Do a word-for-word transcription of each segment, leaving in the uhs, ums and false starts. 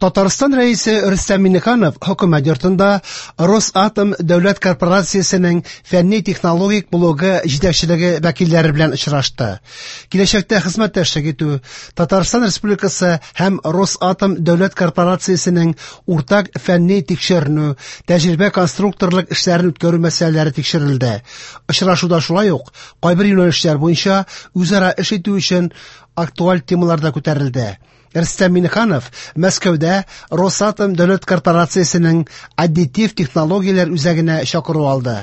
Татарстан Рәисе Рөстәм Миңнеханов Хөкүмәт йортында Росатом дәүләт корпорациясенең фәнни-технологик блогы җитәкчелеге вәкилләре белән очрашты. Киләчәктә хезмәттәшлек итү, Татарстан Республикасы һәм Росатом дәүләт корпорациясенең уртак фәнни тикшеренү, тәҗрибә конструкторлык эшләрен үткәрү мәсьәләләре тикшерелде. Очрашуда шулай ук кайбер юнәлешләр буенча үзара эш итү өчен актуаль темалар да күтәрелде. Рөстәм Миңнеханов Мәскәүдә Росатом дәүләт корпорациясенең аддитив технологияләр үзәгенә чакыру алды.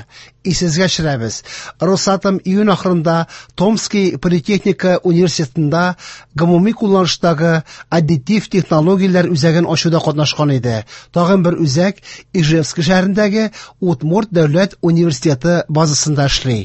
Исегезгә төшерәбез, Росатом июнь ахырында Томский политехника университетында гомуми кулланыштагы аддитив технологияләр үзәген ачуда катнашкан иде. Тагын бер үзәк Ижевск шәһәрендәге Удмурт дәүләт университеты базасында эшли.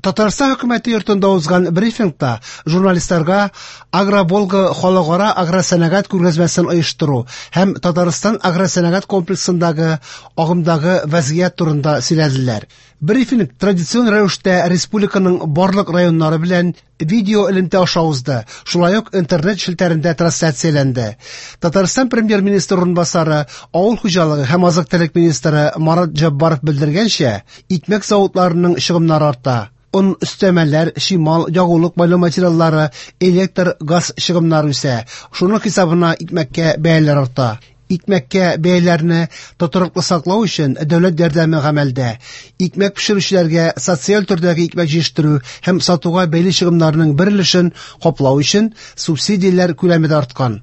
Татарстан хөкүмәте йортында узган брифингта журналистларга Агроволга халыкара агросәнәгать күргәзмәсен оештыру һәм Татарстан агросәнәгать комплексындагы агымдагы вазгыять турында сөйләделәр. Брифинг традицион рәвештә республиканың барлык районнары белән видео элемтә аша узды, шулай ук интернет челтәрендә трансляцияләнде. Татарстан премьер-министры урынбасары, авыл хуҗалыгы һәм азык-төлек министры Марат Җаббаров белдергәнчә, икмәк заводларының чыгымнары арта. Он өстәмәләр, чимал, ягулык майлау материаллары, электр, газ чыгымнары үсә. Шуның хисабына икмәккә бәяләр арта. Икмәккә бәяләрне тотрыклы саклау өчен дәүләт ярдәме гамәлдә. Икмәк пешерүчеләргә социаль төрдәге икмәк җитештерү һәм сатуга бәйле чыгымнарның бер өлешен каплау өчен субсидияләр күләме дә арткан.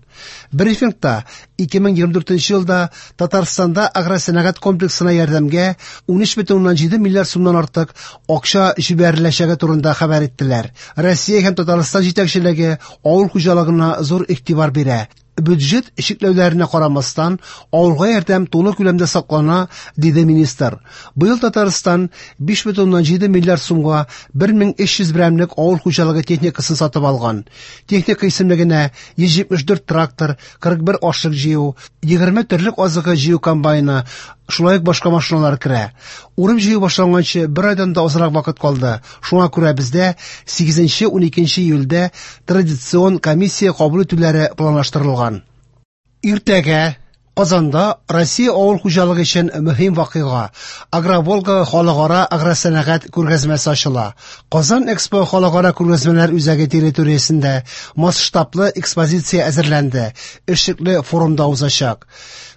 Брифингта ике мең егерме дүртенче елда Татарстанда агросәнәгать комплексына ярдәмгә ун өч бөтен уннан җиде миллиард сумнан артык акча җибәреләчәге турында хәбәр иттеләр. Россия һәм Татарстан җитәкчелеге авыл хуҗалыгына зур игътибар бирә. Бюджет чикләүләренә карамастан, авылга ярдәм тулы күләмдә саклана, диде министр. Быел Татарстан биш бөтен уннан җиде миллиард сумга бер мең өч йөз берәмлек авыл хуҗалыгы техникасын сатып алган. Техника исемлегенә йөз җитмеш дүрт трактор, кырык бер ашлык җыю, егерме терлек азыгы җыю комбайны, шулай ук башка машиналар керә. Урып җыю башланганчы бер айдан да азрак вакыт калды. Шуңа күрә бездә сигезенче уникенче июльдә традицион комиссия кабул итүләре планлаштырылган. Иртәгә Казанда Россия авыл хуҗалыгы өчен мөһим вакыйга Агроволга халыкара агросәнәгать күргәзмәсе ачыла. Казан Экспо халыкара күргәзмәләр үзәге территориясендә масштаблы экспозиция әзерләнде. Эшлекле форумда узачак.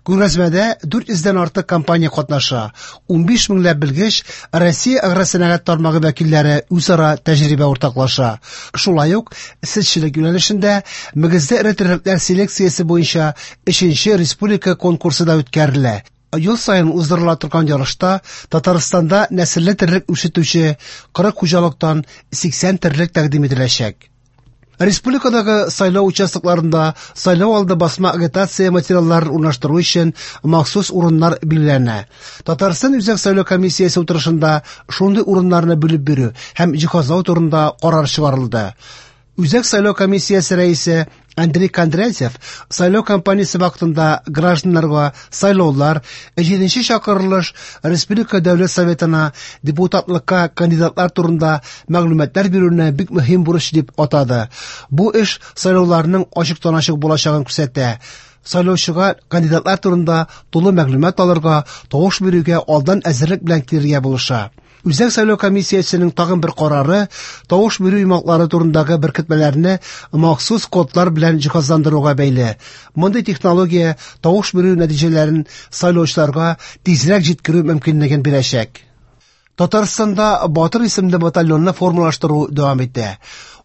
Күргәзмәдә дүрт йөздән артык компания катнаша. Унбиш меңләп белгеч Россия агросәнәгать тармагы вәкилләре үзара тәҗрибә уртаклаша. Шулай ук сөтчелек юнәлешендә мөгезле эре терлекләр селекциясе буенча өченче республика конкурсы да үткәрелә. Ел саен уздырыла торган ярышта Татарстанда нәселле терлек үрчетүче кырык хуҗалыктан сиксән терлек тәкъдим ителәчәк. Республикадагы сайлау участокларында сайлау алды басма агитация материалларын урнаштыру өчен махсус урыннар билгеләнә. Татарстан Үзәк сайлау комиссиясе утырышында шундый урыннарны бүлеп бирү һәм җиһазлау турында карар чыгарылды. Үзәк сайлау комиссиясе рәисе Андрей Кондратьев сайлау кампаниясе вакытында гражданнарга сайлаулар, җиденче чакырылыш Республика Дәүләт Советына депутатлыкка кандидатлар турында мәгълүматлар бирүне бик мөһим бурыч дип атады. Бу эш сайлауларның ачыктан-ачык булачагын күрсәтә. Сайлаучыга кандидатлар турында тулы мәгълүмат алырга, тавыш бирүгә алдан әзерлек белән килергә булыша. Үзәк сайлау комиссиясенең тагын бер карары тавыш бирү йомгаклары турындагы беркетмәләрне махсус кодлар белән җиһазландыруга бәйле. Мондый технология тавыш бирү нәтиҗәләрен сайлаучыларга тизрәк җиткерү мөмкинлеген бирәчәк. Татарстанда Батыр исемле батальонны формалаштыру дәвам итә.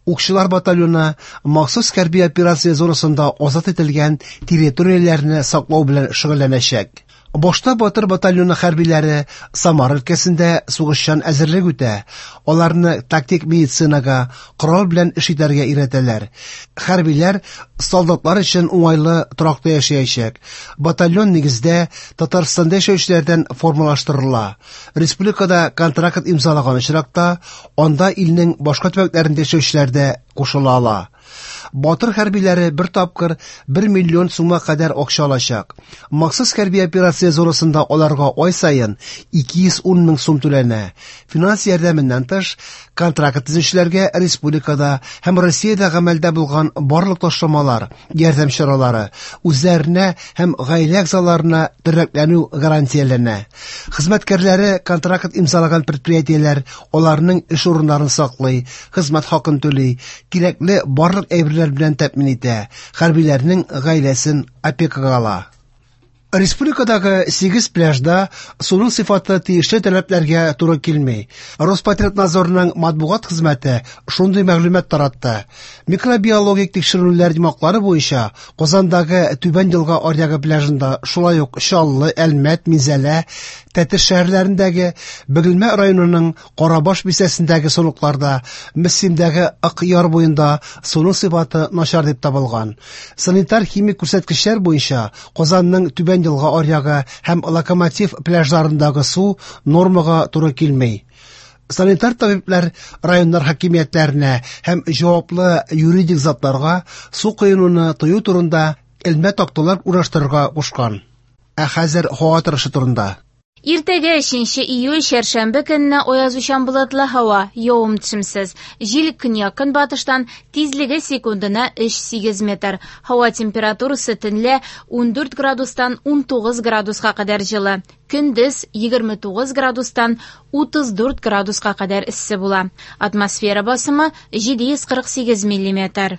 Укчылар батальоны махсус хәрби операция зонасында азат ителгән территорияләрне саклау белән шөгыльләнәчәк. Башта Батыр батальоны хәрбиләре Самара өлкәсендә сугышчан әзерлек үтә. Аларны тактик медицинага, корал белән эш итәргә өйрәтәләр. Хәрбиләр солдатлар өчен уңайлы торакта яшәячәк. Батальон нигездә Татарстанда яшәүчеләрдән формалаштырыла. Республикада контракт имзалаган очракта, анда илнең башка төбәкләрендә яшәүчеләр дә кушыла ала. Батыр хәрбиләре бер тапкыр бер миллион сумга кадәр акча алачак. Махсус хәрби операция зонасында аларга ай саен ике йөз ун мең сум түләнә. Финанс ярдәменнән тыш, контракт төзүчеләргә республикада һәм Россиядә гамәлдә булган барлык ташламалар, ярдәм чаралары, үзләренә һәм гаилә әгъзаларына тернәкләнү гарантияләнә. Хезмәткәрләре контракт имзалаган предприятиеләр аларның эш урыннарын саклый, хезмәт хакын түли, кирәкле барлык әйберләр белән тәэмин итә, хәрбиләрнең гаиләсен опекага ала. Республикадагы сигез пляжда суның сыйфаты тиешле таләпләргә туры килми. Роспотребнадзорның матбугат хезмәте шундый мәгълүмат таратты. Микробиологик тикшерүләр йомгаклары буенча Казандагы Түбән Елга аръягы пляжында, шулай ук Чаллы, Әлмәт, Минзәлә, Тәтеш шәһәрләрендәге, Бөгелмә районының Карабаш бистәсендәге сулыкларда, Мөслимдәге Ык яр буенда суның сыйфаты начар дип табылган. Санитар химик күрсәткечләр буенча Казанның Түбән Елга аръягы һәм Локомотив пляжларындагы су нормага туры килми. Санитар табиблар районнар хакимиятләренә һәм җаваплы юридик затларга су коенуны тыю турында элмә такталар урнаштырырга кушкан. Ә хәзер һава торышы турында. Иртәгә өченче июль чәршәмбе көнне аязучан болытлы һава, явым-төшемсез. Җил көньяк-көнбатыштан, тизлеге секундына өч сигез метр. Һава температурасы төнлә ундүрт градустан унтугыз градуска кадәр җылы. Көндез егерме тугыз градустан утыз дүрт градуска кадәр эссе була. Атмосфера басымы җиде йөз кырык сигез миллиметр.